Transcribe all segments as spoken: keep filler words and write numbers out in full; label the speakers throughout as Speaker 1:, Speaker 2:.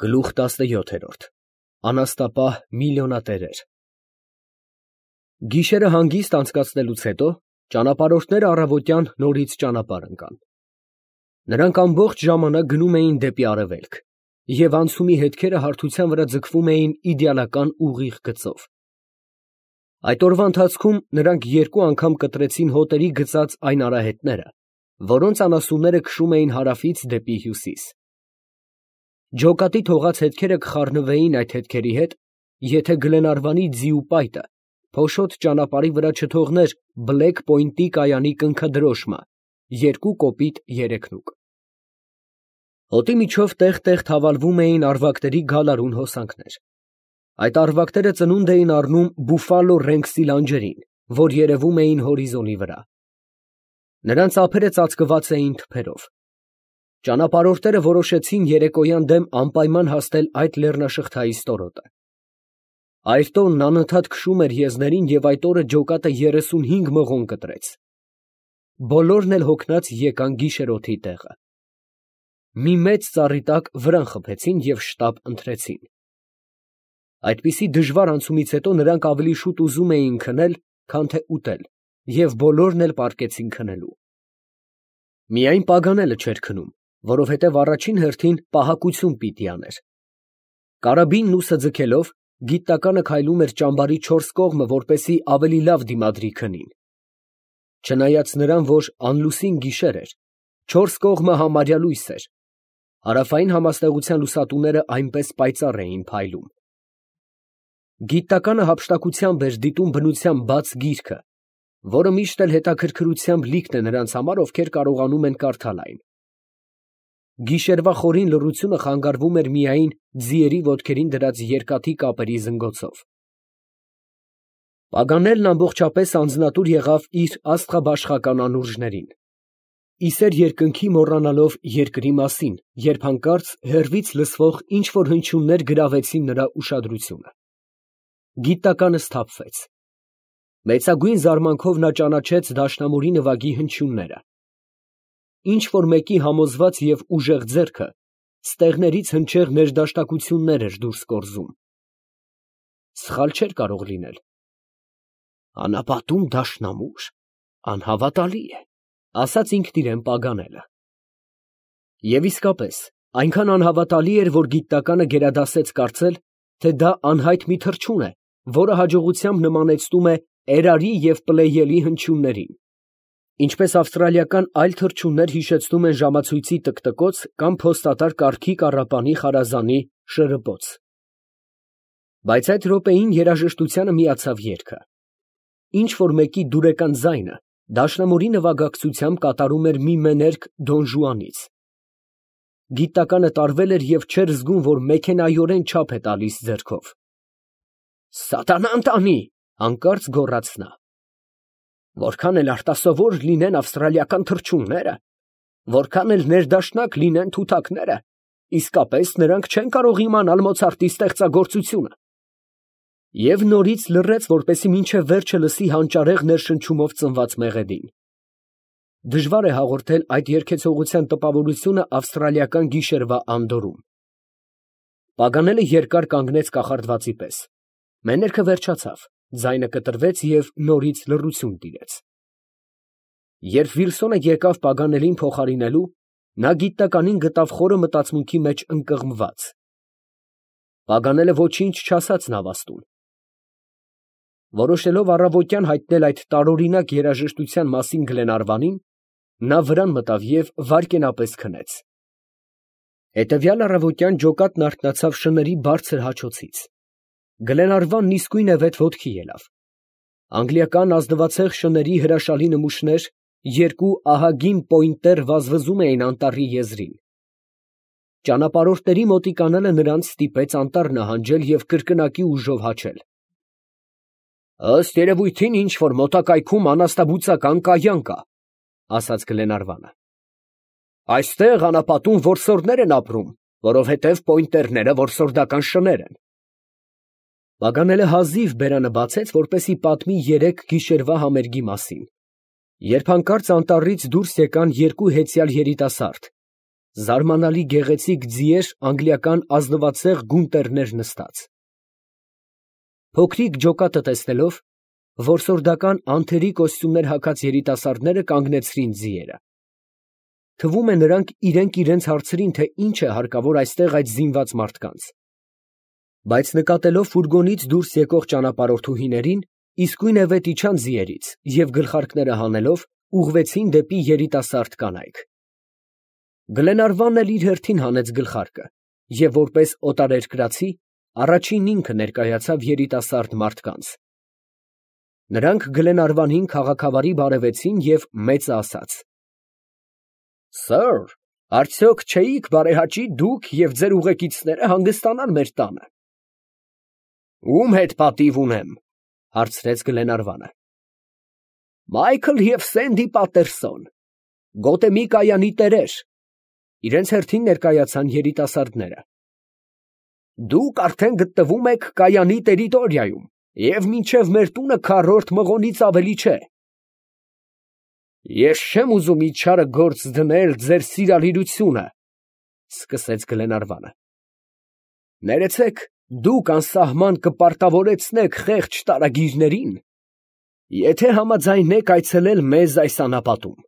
Speaker 1: Գլուխ տասնյոթերորդ Անաստապահ միլիոնատերեր Գիշերը հանգիստ անցկացնելուց հետո ճանապարհորդները առավոտյան նորից ճանապարհ ընկան. նրանք ամբողջ ժամանակ գնում էին դեպի արևելք և անցումի հետքերը հարթության վրա ձգվում էին իդեալական ուղիղ գծով. այդ օրվա ընթացքում նրանք երկու անգամ կտրեցին հոտերի գծած այն արահետները, որոնց անասունները քշում էին հարավից դեպի հյուսիս. ջոկատի թողած հետքերը կխառնվեին այդ հետքերի հետ, եթե Գլենարվանի ձիու պայտը փոշոտ ճանապարհի վրա չթողներ Բլեք Պոյնտի կայանի կնքդրոշմը երկու կոպիտ երեքնուկ։ Հոտի միջով տեղ֊տեղ թավալվում էին առվակների գալարուն հոսանքներ. այդ առվակները ծնունդ էին առնում Բուֆալո Ռենքսի լանջերին, որ երևում էին հորիզոնի վրա. նրանց ափերը ծածկված էին թփերով։ Ճանապարհորդները որոշեցին երեկոյան դեմ անպայման հասնել այդ լեռնաշղթայի ստորոտը. Այրտոնն անընդհատ քշում էր եզներին և այդ օրը ջոկատը երեսունհինգ մղոն կտրեց։ Բոլորն էլ հոգնած եկան գիշերօթի տեղը. մի մեծ ծառի տակ վրան խփեցին և շտապ ընթրեցին։ Այդպիսի դժվար անցումից հետո նրանք ավելի շուտ ուզում էին քնել, քան թե ուտել, և բոլորն էլ պառկեցին քնելու։ Միայն Պագանելը չէր քնում, որովհետև առաջին հերթին պահակություն պիտի աներ։ Կարաբինն ուսը ձգելով, գիտականը քայլում էր ճամբարի չորս կողմը, որպեսզի ավելի լավ դիմադրի քնին։ Չնայած նրան, որ անլուսին գիշեր էր, չորս կողմը համարյա լույս էր, հարավային համաստեղության լուսատուները այնպես պայծառ էին փայլում։ Գիտականը հափշտակությամբ էր դիտում բնության բաց գիրքը, որը միշտ էլ հետաքրքրությամբ լիքն է նրանց համար, ովքեր կարողանում են կարդալ այն։ Գիշերվա խորին լռությունը խանգարվում էր միայն ձիերի ոտքերին դրած երկաթի կապերի զնգոցով։ Պագանելն ամբողջապես անձնատուր եղավ իր աստղաբաշխական անուրջներին, իսեր երկնքի մոռանալով երկրի մասին, երբ հանկարծ հեռվից լսվող ինչ֊որ հնչյուններ գրավեցին նրա ուշադրությունը։ Գիտականը սթափվեց։ Մեծագույն զարմանքով նա ճանաչեց դաշնամուրի նվագի հնչյունները։ Ինչ֊որ մեկի համոզված և ուժեղ ձեռքը ստեղներից հնչեղ ներդաշնակություններ էր դուրս կորզում։ Սխալ չէր կարող լինել։ «Անապատում դաշնամուր, անհավատալի է», ասաց ինքն իրան Պագանելը։ Եվ իսկապես, այնքան անհավատալի էր, որ գիտականը գերադասեց կարծել, թե դա անհայտ մի թռչուն է, որը հաջողությամբ նմանեցնում է էրարի և պլեյելի հնչյուններին, ինչպես ավստրալիական այլ թռչուններ հիշեցնում են ժամացույցի տկտկոց կամ փոստատար կառքի կառապանի խարազանի շրըպոց։ Բայց այդ րոպեին երաժշտությանը միացավ երգը։ Ինչ֊որ մեկի դուրեկան ձայնը դաշնամուրի նվագակցությամբ կատարում էր մի մեներկ Դոն Ժուանից։ Գիտականը տարվել էր և չէր զգում, որ մեքենայորեն չափ է տալիս ձեռքով։ «Սատանան տանի», հանկարծ գոռաց նա։ «Որքան էլ արտասովոր լինեն ավստրալիական թռչունները, որքան էլ ներդաշնակ լինեն թութակները, իսկապես նրանք չեն կարող իմանալ Մոցարտի ստեղծագործությունը»։ Եվ նորից լռեց, որպեսզի մինչև վերջը լսի հանճարեղ ներշնչումով ծնված մեղեդին։ Դժվար է հաղորդել այդ երգեցողության տպավորությունը ավստրալիական գիշերվա անդորրում։ Պագանելը երկար կանգնեց կախարդվածի պես։ Մեներքը վերջացավ, ձայնը կտրվեց և նորից լռություն տիրեց։ Երբ Վիլսոնը եկավ Պագանելին փոխարինելու, նա գիտականին գտավ խորը մտածմունքի մեջ ընկղմված։ Պագանելը ոչինչ չասաց նավաստուն։ Որոշելով առավոտյան հայտնել այդ տարօրինակ երաժշտության մասին Գլենարվանին, նա վրան մտավ և վայրկենապես քնեց։ Հետևյալ առավոտյան ջոկատն արթնացավ շների բարձր հաչոցից։ Գլենարվանն իսկույնևեթ ոտքի ելավ։ Անգլիական ազնվացեղ շների հրաշալի նմուշներ, երկու ահագին պոյնտեր վազվզում էին անտառի եզրին։ Ճանապարհորդների մոտիկանալը նրանց ստիպեց անտառ նահանջել և կրկնակի ուժով հաչել։ «Ըստ երևույթին ինչ֊որ մոտակայքում անաստաբուծական կայան կա», ասաց Գլենարվանը։ «Այստեղ անապատում որսորդներ են ապրում, որովհետև պոյնտերները որսորդական շներ են»։ Պագանելը հազիվ բերանը բացեց, որպեսզի պատմի երեք գիշերվա համերգի մասին, երբ հանկարծ անտառից դուրս եկան երկու հեծյալ երիտասարդ, Զարմանալի գեղեցիկ ձիեր անգլիական ազնվացեղ գունտերներ նստած։ Փոքրիկ ջոկատը տեսնելով, որսորդական անթերի կոստյումներ հագած երիտասարդները կանգնեցրին ձիերը։ Թվում է նրանք իրենք իրենց հարցրին, թե ինչ է հարկավոր այստեղ այդ զինված մարդկանց։ Բայց նկատելով ֆուրգոնից դուրս եկող ճանապարհորդուհիներին, իսկույնևեթ իջան ձիերից և գլխարկները հանելով ուղղվեցին դեպի երիտասարդ կանայք։ Գլենարվանն էլ իր հերթին հանեց գլխարկը և որպես օտարերկրացի առաջին ինքը ներկայացավ երիտասարդ մարդկանց։ Նրանք Գլենարվանին քաղաքավարի բարևեցին և մեծը ասաց. «Սըր, արդյոք չէիք բարեհաճի դուք և ձեր ուղեկիցները հանգստանալ մեր տանը»։ «Ում հետ պատիվ ունեմ, ֊ հարցրեց Գլենարվանը։ ֊ Մայքլ և Սենդի Պատերսոն, Գոթեմի կայանի տերեր, ֊ իրենց հերթին ներկայացան երիտասարդները։ ֊ Դուք արդեն գտնվում եք կայանի տերիտորիայում և մինչև մեր տունը քառորդ մղոնից ավելի չէ։ ֊ Ես չեմ ուզում իջարը գործ դնել ձեր սիրալիրությունը, ֊ սկսեց Գլենարվանը։ ֊ Ներեցեք, դուք անսահման կպարտավորեցնեք խեղճ տարագիրներին, եթե համաձայնեք այցելել մեզ այս անապատում։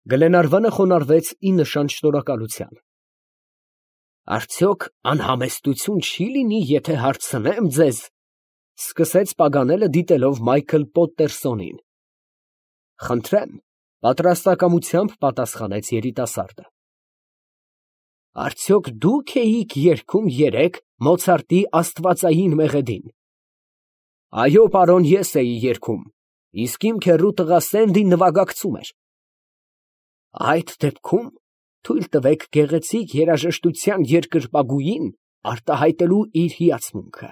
Speaker 1: Գլենարվանը խոնարհվեց ի նշան շնորհակալության։ ֊ Արդյոք անհամեստություն չի լինի, եթե հարցնեմ ձեզ, ֊ սկսեց Պագանելը դիտելով Մայքլ Պոտտերսոնին։ ֊ Խնդրեմ, ֊ պատրաստակամությամբ պատասխանեց երիտասարդը։ ֊ Արդյոք դուք էիք երգում երեկ Մոցարտի Աստվածային մեղեդին։ ֊ Այո, պարոն, ես էի երգում, իսկ իմ քեռու տղա Սենդին նվագակցում էր։ ֊ Այդ դեպքում թույլ տվեք գեղեցիկ երաժշտության երկրպագուին արտահայտելու իր հիացմունքը։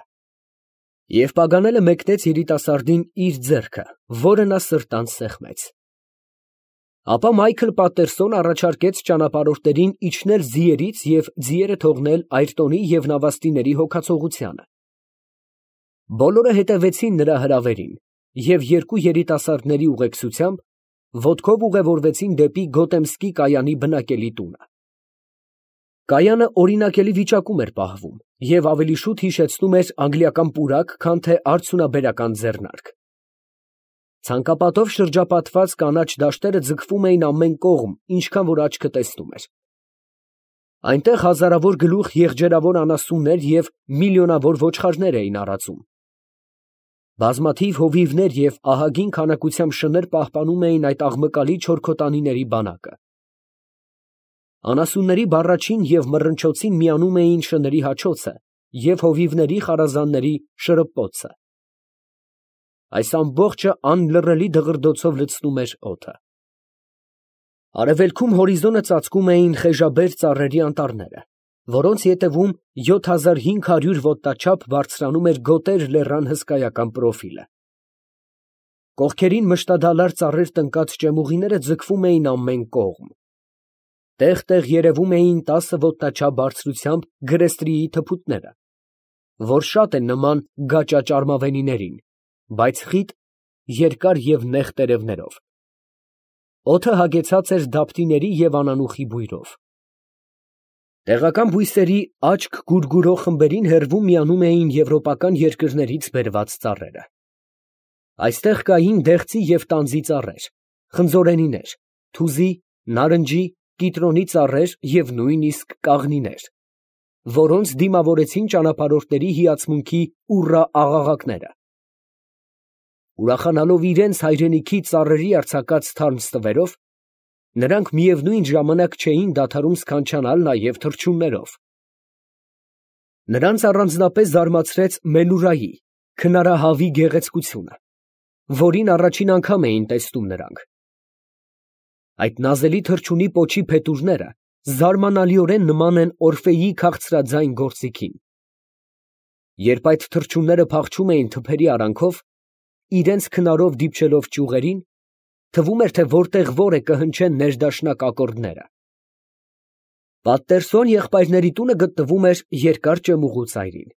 Speaker 1: Եվ Պագանելը մեկնեց երիտասարդին իր ձեռքը, որը նա սրտանց սեղմեց։ Ապա Մայքլ Պատտերսոնը առաջարկեց ճանապարհորդներին իջնել ձիերից և ձիերը թողնել Այրտոնի և նավաստիների հոգացողությանը։ Բոլորը հետևեցին նրա հրավերին և երկու երիտասարդների ուղեկցությամբ ոտքով ուղևորվեցին դեպի Գոթեմսկի կայանի բնակելի տունը։ Կայանը օրինակելի վիճակում էր պահվում և ավելի շուտ հիշեցնում էր անգլիական պուրակ, քան թե արդյունաբերական ձեռնարկ։ Ցանկապատով շրջապատված կանաչ դաշտերը ձգվում էին ամեն կողմ, ինչքան որ աչքը տեսնում էր։ Այնտեղ հազարավոր գլուխ եղջերավոր անասուններ և միլիոնավոր ոչխարներ էին առաջում։ Բազմաթիվ հովիվներ և ահագին քանակությամբ շներ պահպանում էին այդ աղմկալի չորքոտանիների բանակը։ Անասունների բառաչին և մռնչոցին միանում էին շների հաչոցը և հովիվների խարազանների շրպոցը։ Այս ամբողջը անլռելի դղրդոցով լցնում էր օդը։ Արևելքում հորիզոնը ծածկում էին խեժաբեր ծառերի անտառները, որոնց ետևում յոթ հազար հինգ հարյուր ոտնաչափ բարձրանում էր Գոտեր լեռան հսկայական պրոֆիլը։ Կողքերին մշտադալար ծառեր տնկած ճեմուղիները ձգվում էին ամեն կողմ։ Տեղ֊տեղ երևում էին տասը ոտնաչափ բարձրությամբ գրեստրիի թփուտները, որ շատ են նման գաճաճարմավենիներին, բայց խիտ, երկար և նեղ տերևներով։ Օդը հագեցած էր դափտիների և անանուխի բույրով։ Տեղական բույսերի աչք գուրգուրող խմբերին հեռվում միանում էին եվրոպական երկրներից բերված ծառերը։ Այստեղ կային դեղցի և տանձի ծառեր, խնձորենիներ, թուզի, նարնջի, կիտրոնի ծառեր և նույնիսկ կաղնիներ, որոնց դիմավորեցին ճանապարհորդների հիացմունքի ուռա աղաղակները։ Ուրախանալով իրենց հայրենիքի ծառերի արձակած թարմ ստվերով, նրանք միևնույն ժամանակ չէին դադարում սքանչանալ նաև թռչուններով։ Նրանց առանձնապես զարմացրեց Մելուրայի քնարահավի գեղեցկությունը, որին առաջին անգամ էին տեսնում նրանք։ Այդ նազելի թռչունի պոչի փետուրները զարմանալիորեն նման են Օրֆեի քաղցրաձայն գործիքին։ Երբ այդ թռչունները փախչում էին թփերի արանքով, իրենց քնարով դիպչելով ճյուղերին, թվում էր, թե որտեղ որ է կհնչեն ներդաշնակ ակորդները։ Պատտերսոն եղբայրների տունը գտնվում էր երկար ճեմուղու ծայրին։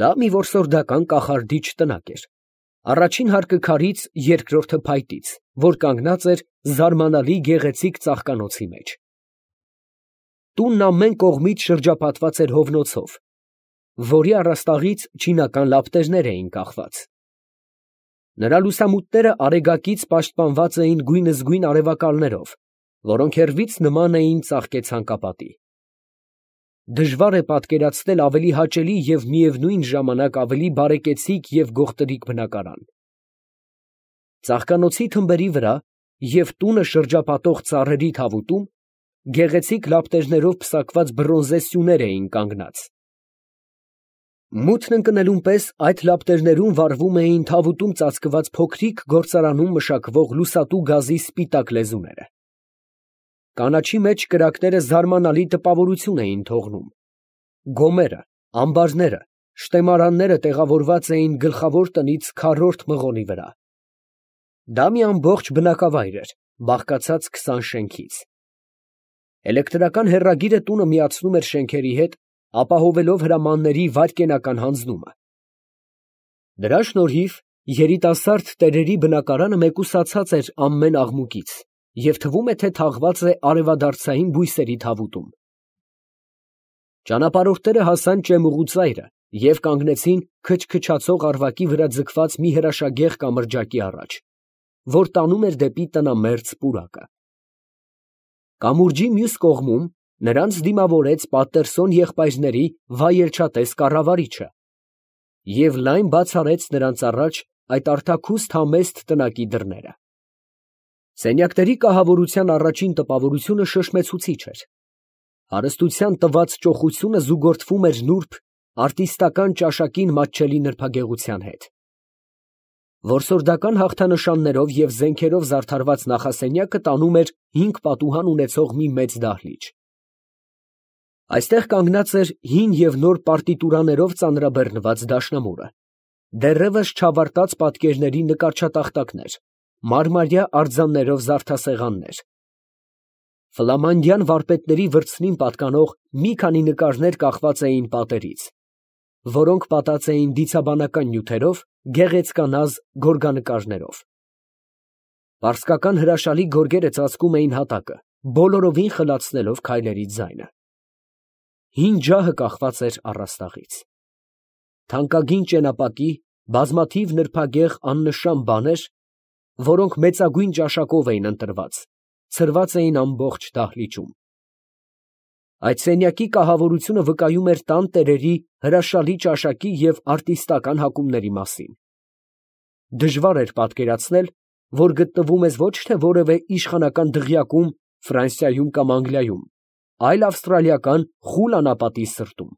Speaker 1: Դա մի որսորդական կախարդիչ տնակ էր, առաջին հարկը քարից, երկրորդը փայտից, որ կանգնած էր զարմանալի գեղեցիկ ծաղկանոցի մեջ։ Տունն ամեն կողմից շրջապատված էր հովնոցով, որի առաստաղից չինական լապտերներ էին կախված։ Նրա լուսամուտները արեգակից պաշտպանված էին գույնզգույն արևակալներով, որոնք հեռվից նման էին ծաղկե ցանկապատի։ Դժվար է պատկերացնել ավելի հաճելի և միևնույն ժամանակ ավելի բարեկեցիկ և գողտրիկ բնակարան։ Ծաղկանոցի թմբերի վրա և տունը շրջապատող ծառերի թավուտում գեղեցիկ լապտերներով պսակված բրոնզե սյուներ էին կանգնած։ Մութն ընկնելուն պես այդ լապտերներում վառվում էին թավուտում ծածկված փոքրիկ գործարանում մշակվող լուսատու գազի սպիտակ լեզուները։ Կանաչի մեջ կրակները զարմանալի տպավորություն էին թողնում։ Գոմերը, ամբարները, շտեմարանները տեղավորված էին գլխավոր տնից քառորդ մղոնի վրա։ Դա մի ամբողջ բնակավայր էր, բաղկացած քսան շենքից։ Էլեկտրական հեռագիրը տունը միացնում էր շենքերի հետ, ապահովելով հրամանների վայրկենական հանձնումը։ Դրա շնորհիվ երիտասարդ տերերի բնակարանը մեկուսացած էր ամեն աղմուկից և թվում է, թե թաղված է արևադարձային բույսերի թավուտում։ Ճանապարհորդները հասան ճեմուղու ծայրը և կանգնեցին քչքչացող առվակի վրա ձգված մի հրաշագեղ կամրջակի առաջ, որ տանում էր դեպի տնամերձ պուրակը։ Կամուրջի մյուս կողմում նրանց դիմավորեց Պատերսոն եղբայրների վայելչատես կառավարիչը և լայն բաց արեց նրանց առաջ այդ արտաքուստ համեստ տնակի դռները։ Սենյակների կահավորության առաջին տպավորությունը շշմեցուցիչ էր։ Հարստության տված ճոխությունը զուգորդվում էր նուրբ, արտիստական ճաշակին մատչելի նրբագեղության հետ։ Որսորդական հաղթանշաններով և զենքերով զարդարված նախասենյակը տանում էր հինգ պատուհան ունեցող մի մեծ դահլիճ։ Այստեղ կանգնած էր հին և նոր պարտիտուրաներով ծանրաբեռնված դաշնամուրը, դեռևս չավարտած պատկերների նկարչատախտակներ, մարմարյա արձաններով զարդասեղաններ։ Ֆլամանդյան վարպետների վրձնին պատկանող մի քանի նկարներ կախված էին պատերից, որոնք պատած էին դիցաբանական նյութերով, գեղեցկանազ գորգանկարներով։ Պարսկական հրաշալի գորգերը ծածկում էին հատակը, բոլորովին խլացնելով քայլերի ձայնը։ Հին ջահը կախված էր առաստաղից։ Թանկագին ճենապակի, բազմաթիվ նրբագեղ աննշան բաներ, որոնք մեծագույն ճաշակով էին ընտրված, ցրված էին ամբողջ դահլիճում։ Այդ սենյակի կահավորությունը վկայում էր տան տերերի հրաշալի ճաշակի և արտիստական հակումների մասին։ Դժվար էր պատկերացնել, որ գտնվում ես ոչ թե որևէ իշխանական դղյակում Ֆրանսիայում կամ Անգլիայում, այլ ավստրալիական խուլ անապատի սրտում։